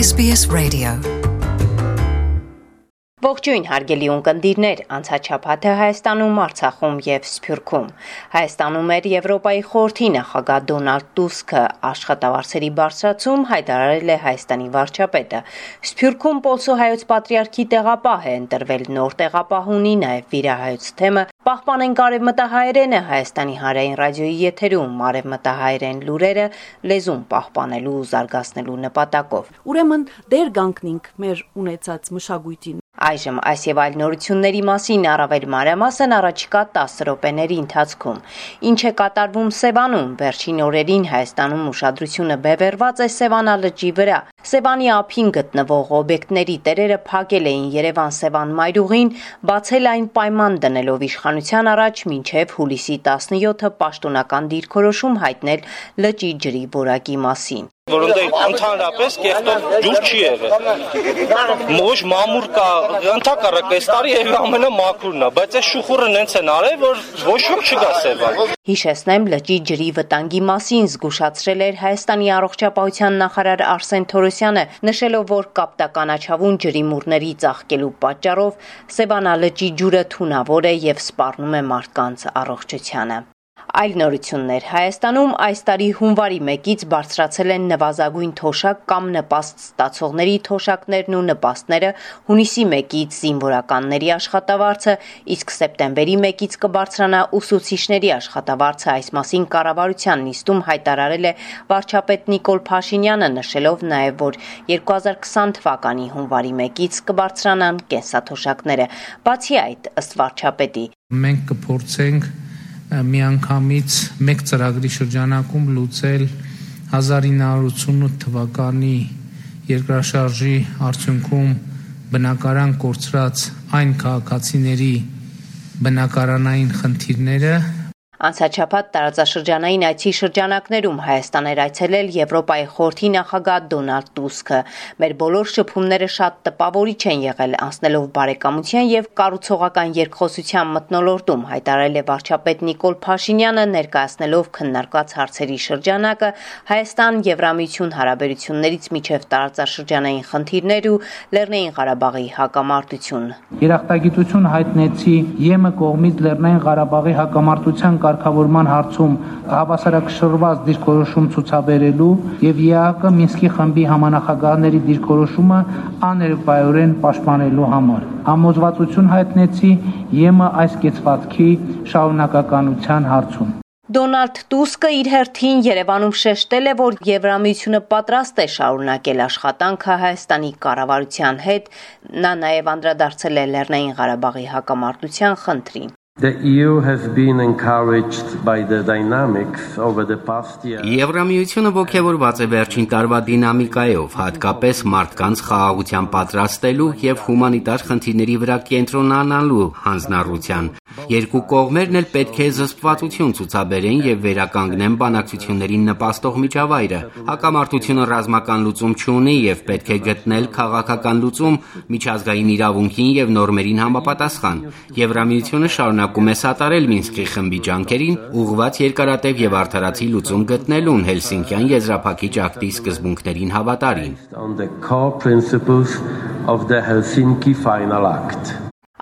SBS Radio. Ողջույն հարգելի ունկնդիրներ, անցաչափաթը Հայաստանում, Արցախում եւ Սփյուռքում։ Հայաստանում էր Եվրոպայի խորհրդի նախագահ Դոնալդ Տուսկը աշխատավարձերի բարձրացում հայտարարել է Հայաստանի վարչապետը։ Սփյուռքում Պոլսո հայոց պատրիարքի տեղապահ է ընտրվել նոր տեղապահ ունի նաեւ վիրահայոց թեմը։ Պահպանենք արևմտահայերենը Հայաստանի հանրային ռադիոյի եթերում արևմտահայերեն լուրերը լեզուն պահպանելու ու զարգացնելու նպատակով։ Ուրեմն դեր գանքնինք մեր ունեցած մշակույթին։ Այժմ այս եւ այլ նորությունների մասին առավել մանրամասն առաջիկա 10 րոպեների ընթացքում։ Ինչ է կատարվում Սևանում, վերջին օրերին Հայաստանում ուշադրությունը բևեռված է Սևանա լճի վրա։ Սևանի ափին գտնվող օբյեկտների տերերը փակել էին Երևան-Սևան մայրուղին, բացել այն պայման դնելով իշխանության առաջ մինչև հուլիսի 17-ը պաշտոնական դիրքորոշում հայտնել լճի ջրի որակի մասին։ Որոնց ընդհանրապես կեղտով ջուր չի եղել։ Մոշ մամուր կա, ընդհակառակ այս տարի եւ ամենը մաքուրն է, բայց այս շուխուրը նենց են արել, որ ոչ ոք չգա Սևան։ Հիշեցնեմ, լճի ջրի վտանգի մասին զգուշացրել էր Հայաստանի առողջապահության նախարար Արսեն Թորոսյանը, նշելով, որ կապտականաչավուն ջրի մուրների ծաղկելու պատճառով Սևանա լճի ջուրը թունավոր է եւ սպառնում է մարդկանց առողջությանը։ Այլ նորություններ Հայաստանում այս տարի հունվարի 1-ից բարձրացել են նվազագույն թոշակ կամ նպաստ ստացողների թոշակներն ու նպաստները, հունիսի 1-ից զինվորականների աշխատավարձը, իսկ սեպտեմբերի 1-ից կբարձրանա ուսուցիչների աշխատավարձը, այս մասին կառավարության նիստում հայտարարել է վարչապետ Նիկոլ Փաշինյանը, նշելով նաև, որ 2020 թվականի հունվարի 1-ից կբարձրանան կենսաթոշակները։ Բացի այդ, ըստ վարչապետի, մենք կփորձենք միանգամից մեկ ծրագրի շրջանակում լուծել 1988 թվականի երկրաշարժի արդյունքում բնակարան կորցրած այն քաղաքացիների բնակարանային խնդիրները։ Անցաչափած տարածաշրջանային այցի շրջանակներում Հայաստան էր այցելել Եվրոպայի խորհրդի նախագահ Դոնալդ Տուսկը։ Մեր բոլոր շփումները շատ տպավորիչ են եղել, անցնելով բարեկամության եւ կառուցողական երկխոսության մթնոլորտում, հայտարարել է վարչապետ Նիկոլ Փաշինյանը, ներկայացնելով քննարկված հարցերի շրջանակը Հայաստան-Եվրամիություն հարաբերություններից միջև տարածաշրջանային խնդիրներ ու Լեռնային Ղարաբաղի հակամարտություն։ Երախտագիտություն հայտնեցի ԵՄ կողմից Լեռնային Ղարաբաղի հակամարտության կարգավորման հարցում հավասարակշռված դիրքորոշում ցուցաբերելու եւ ԵԱՀԿ Մինսկի խմբի համանախագահների դիրքորոշումը աներկայորեն պաշտպանելու համար։ Համոզվածություն հայտնեցի ԵՄ այս կեցվածքի շարունակականության հարցում։ Դոնալդ Տուսկը իր հերթին Երևանում շեշտել է, որ Եվրամիությունը պատրաստ է շարունակել աշխատանքը Հայաստանի կառավարության հետ, նա նաև անդրադարձել է Լեռնային Ղարաբաղի հակամարտության խնդրին։ The EU has been encouraged by the dynamics over the past year. Եվրամիությունը ողջևորված է վերջին տարվա դինամիկայով, հատկապես մարդկանց խաղաղության պատրաստելու եւ հումանիտար խնդիրների վրա կենտրոնանալու հանձնառության։ Երկու կողմերն էլ պետք է զսպվածություն ցուցաբերեն եւ վերականգնեն բանակցություններին նպաստող միջավայրը։ Հակամարտությունը ռազմական լուծում չունի եւ պետք է գտնել քաղաքական լուծում միջազգային իրավունքին եւ նորմերին համապատասխան։ Եվրամիությունը շարունակում է սատարել Մինսկի խմբի ջանքերին, ուղղված երկարատև եւ արդարացի լուծում գտնելուն Հելսինկյան եզրափակիչ ակտի սկզբունքներին հավատարիմ։ On the core principles of the Helsinki Final Act.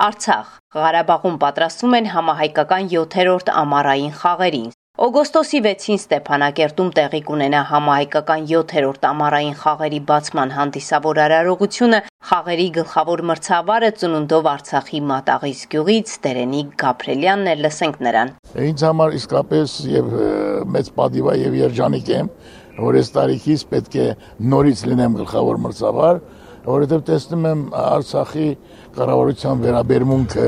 Արցախ Ղարաբաղում պատրաստվում են համահայկական 7-րդ ամառային խաղերին։ Օգոստոսի 6-ին Ստեփանակերտում տեղի կունենա համահայկական 7-րդ ամառային խաղերի բացման հանդիսավոր արարողությունը, խաղերի գլխավոր մրցավարը ծնունդով Արցախի Մատաղից գյուղից Տերենիկ Գաբրելյանն է, լսենք նրան։ Ինձ համար իսկապես եւ մեծ պատիվ է եւ երջանիկ եմ, որ այս տարիքից պետք է նորից լինեմ գլխավոր մրցավար, որովհետեւ տեսնում եմ Արցախի կառավարության վերաբերմունքը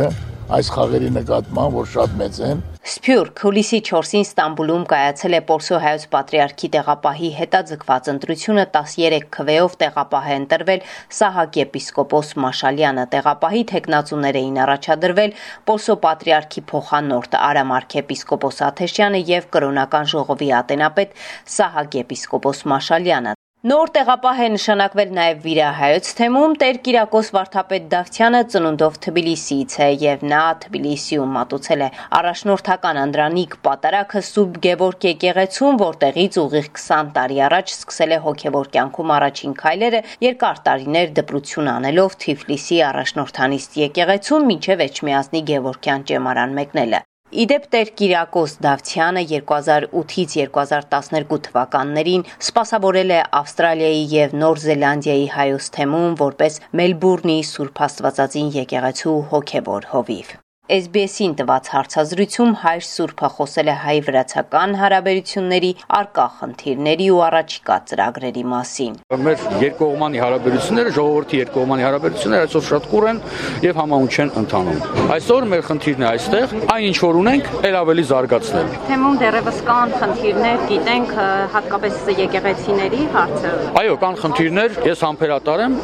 այս խաղերի նկատմամբ, որ շատ մեծ են։ Սփյուռք հուլիսի 4-ին Ստամբուլում կայացել է Պոլսո հայոց պատրիարքի տեղապահի հետաձգված ընտրությունը 13 քվեով տեղապահ է ընտրվել Սահակ եպիսկոպոս Մաշալյանը, տեղապահի թեկնածուներ էին առաջադրվել Պոլսո պատրիարքի փոխանորդ Արամ arczepiskopos Աթեշյանը եւ կրոնական ժողովի ատենապետ Սահակ եպիսկոպոս Մաշալյանը։ Նոր տեղապահ է նշանակվել նաև վիրահայոց թեմում Տեր Կիրակոս Վարդապետ Դավթյանը ծնունդով Թբիլիսիից է եւ նա Թբիլիսիում մատուցել է առաջնորդական անդրանիկ պատարագը Սուրբ Գևորգ եկեղեցում, որտեղից ուղիղ 20 տարի առաջ սկսել է հոգեվոր կյանքում առաջին քայլերը, երկար տարիներ դպրություն անելով Թիֆլիսի առաջնորդանիստ եկեղեցում մինչև Էջմիածնի Գևորգյան ճեմարան մեկնելը։ Իդեպ Տեր Կիրակոս Դավթյանը 2008-ից 2012 թվականներին սպասավորել է Ավստրալիայի եւ Նոր Զելանդիայի հայոց թեմում որպես Մելբուրնի Սուրբ Աստվածածին եկեղեցու հոգեվոր հովիվ։ SBS-ին տված հարցազրույցում հայր Սուրբը խոսել է հայ-վրացական հարաբերությունների արկա խնդիրների ու առաջիկա ծրագրերի մասին։ Մեր երկկողմանի հարաբերությունները, ժողովրդի երկկողմանի հարաբերությունները այսօր շատ կուռ են եւ համահունչ են ընթանում։ Այսօր մեր խնդիրն է այստեղ, այն ինչ որ ունենք, ել ավելի զարգացնել։ Թեմում դեռևս կան խնդիրներ, գիտենք, հատկապես եկեղեցիների հարցը։ Այո, կան խնդիրներ, ես համբերատար եմ,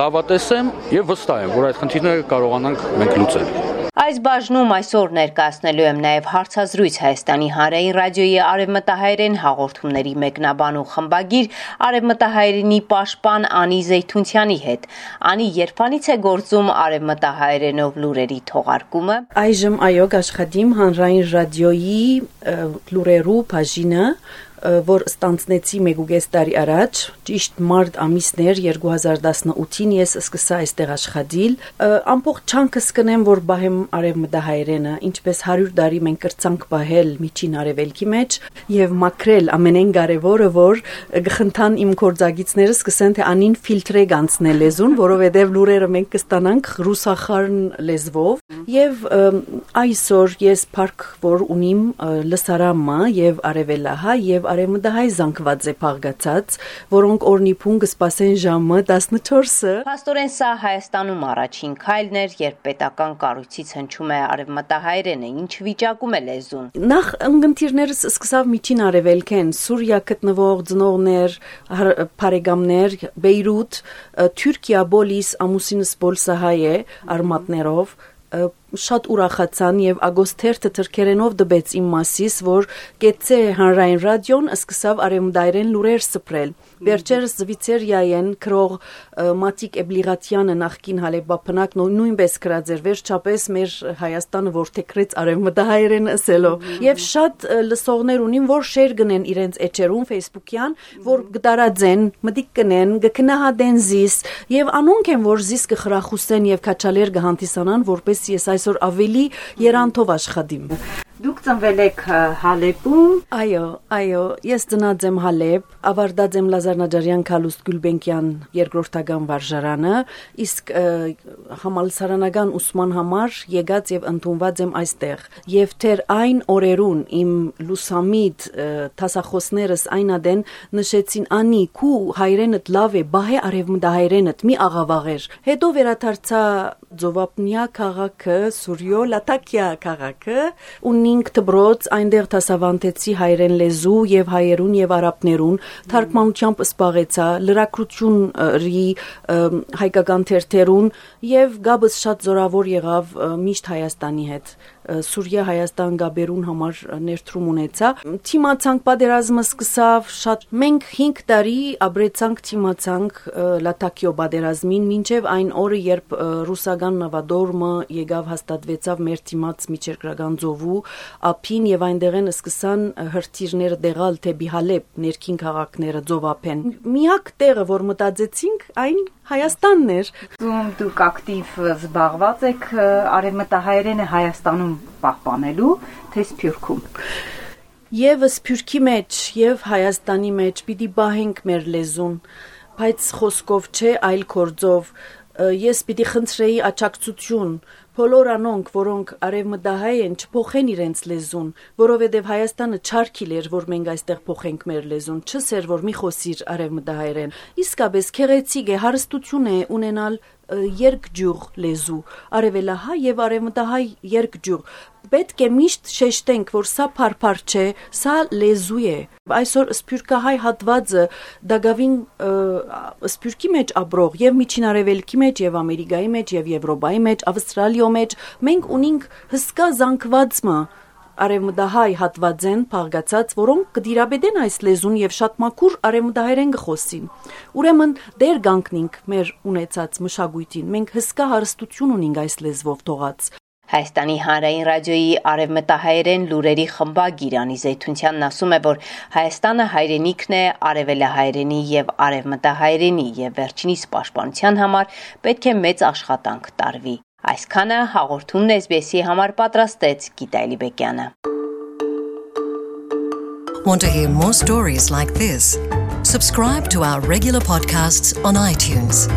լավատես եմ եւ վստահ եմ, որ այդ խնդիրները կարողանանք մենք լուծել։ Այս բաժնում այսօր ներկայացնելու եմ նաև հարցազրույց Հայաստանի հանրային ռադիոյի արևմտահայերեն հաղորդումների մեկնաբան ու խմբագիր արևմտահայերենի պաշտպան Անի Զեյթունցյանի հետ։ Անի, երբանից է գործում արևմտահայերենով լուրերի թողարկումը։ Այժմ այո, աշխատիմ հանրային ռադիոյի լուրերու բաժինը, որ ստանցնեցի 1.5 տարի առաջ, ճիշտ մարտ ամիսներ 2018-ին ես սկսա այստեղ աշխատել, ամբողջ չանքս կնեմ, որ բահեմ արևմտահայերենը, ինչպես 100 տարի մենք կրծանք բահել միջին արևելքի մեջ եւ մաքրել ամենեն կարևորը, որ գխնդան իմ կորձագիցները սկսեն թե անին ֆիլտրեգ անցնել լեզուն, որովհետեւ լուրերը մենք կստանանք ռուսախարն լեզվով եւ այսօր ես փառք որ ունիմ լսարամը եւ արևելահայ եւ արևմտահայ զանգված է փաղկացած, որոնք օրնիփուն կսպասեն ժամը 14-ը։ Փաստորեն սա Հայաստանում առաջին քայլն էր, երբ պետական կառույցից հնչում է արևմտահայերենը, ինչ վիճակում է լեզուն։ Նախ ընկերներս սկսավ միջին արևելքեն, Սուրիա գտնվող ծնողներ, բարեկամներ, Բեյրութ, Թուրքիա բոլիս ամուսինս բոլսահայ է արմատներով շատ ուրախացան եւ ագոստերթը թրքերենով դբեց իմ մասիս, որ գեցե հանրային ռադիոն սկսավ արևմտահայերեն լուրեր սփռել։ Վերջերս Զվիցերիայեն քրող Մատիկ Էբլիղատյանը նախկին հալեբապնակ նույնպես գրած էր վերջապես մեր Հայաստանը որթեքրեց արևմտահայերեն ասելով։ Եվ շատ լսողներ ունին, որ շեյր գնեն իրենց էջերում Facebook-յան, որ գտարածեն, մտիկ կնեն, գքնահատեն զիս եւ անոնք են, որ զիս կխրախուսեն եւ քաչալեր կհանդիսանան, որպես ես այսօր ավելի երանտով աշխատիմ։ Դուք ծնվել եք Հալեբում։ Այո, ես ծնած եմ Հալեբ, ավարտած եմ Լազար Նաջարյան Քալուստ Գուլբենկյան երկրորդական վարժարանը, իսկ համալսարանական ուսման համար եկած եւ ընդունված եմ այստեղ։ Եվ թեր այն օրերուն իմ լուսամիտ տասախոսներս այնադեն նշեցին Անի քու հայրենդ լավ է, բահե արևմտահայերենդ մի աղավաղեր։ Հետո վերադարձա Ձովապնյա քաղաքը, Սուրյո Լատակիա քաղաքը, ունինք դբրոց, այնտեղ դասավանդեցի հայերեն լեզու եւ հայերուն եւ արաբներուն, թարգմանությամբ սպաղեցա, լրագրությունների հայկական թերթերուն եւ գաբս շատ զորավոր եղավ միշտ Հայաստանի հետ։ Սուրիա Հայաստան գաբերուն համար ներդրում ունեցա։ Թիմացանք պատերազմը սկսավ շատ մենք 5 տարի ապրեցանք թիմացանք Լատակիո պատերազմին մինչև այն օրը երբ ռուսական նավադորմը եկավ հաստատվեցավ մեր թիմաց միջերկրական ծովու ափին եւ այնտեղեն սկսան հրթիռները դեղալ թեպի Հալեբ ներքին քաղաքները ծովափեն։ Միակ տեղը որ մտածեցինք այն Հայաստանն էր։ Դուք ակտիվ զբաղված եք արևմտահայերենը Հայաստանում պահպանելու, թե Սփյուռքում։ Եվ Սփյուռքի մեջ եւ Հայաստանի մեջ պիտի բահենք մեր լեզուն, բայց խոսքով չէ, այլ գործով։ Ես պիտի խնդրեի աջակցություն բոլոր անոնք, որոնք արևմտահայ են, չփոխեն իրենց լեզուն, որովհետև Հայաստանը չարքիլ էր, որ մենք այստեղ փոխենք մեր լեզուն, չսեր, որ մի խոսիր արևմտահայերեն։ Իսկապես քեղեցիկ է, հարստություն է ունենալ երկջյուղ լեզու, արևելահայ եւ արևմտահայ երկջյուղ։ Պետք է միշտ շեշտենք, որ սա փարփար չէ, սա լեզու է։ Այսօր սփյուռքահայ հատվածը դակավին սփյուռքի մեջ ապրող եւ միջին արևելքի մեջ եւ Ամերիկայի մեջ եւ Եվրոպայի մեջ, Ավստրալիո մեջ մենք ունենք հսկա զանգվածը արևմտահայ հատվածեն փաղկացած, որոնք կդիրաբեդեն այս լեզուն եւ շատ մաքուր արևմտահայերեն գխոսին։ Ուրեմն դեր գանքնինք մեր ունեցած մշակույթին։ Մենք հսկա հարստություն ունենք այս լեզվով թողած։ Հայաստանի հանրային ռադիոյի արևմտահայերեն լուրերի խմբագիր Անի Զեյթունցյանն ասում է, որ Հայաստանը հայրենիքն է արևելահայերենի եւ արևմտահայերենի եւ վերջինիս պաշտպանության համար պետք է մեծ աշխատանք տարվի։ Այսքանը հաղորդումն SBS-ի համար պատրաստեց Գիտա Էլիբեկյանը։ Want to hear more stories like this? Subscribe to our regular podcasts on iTunes.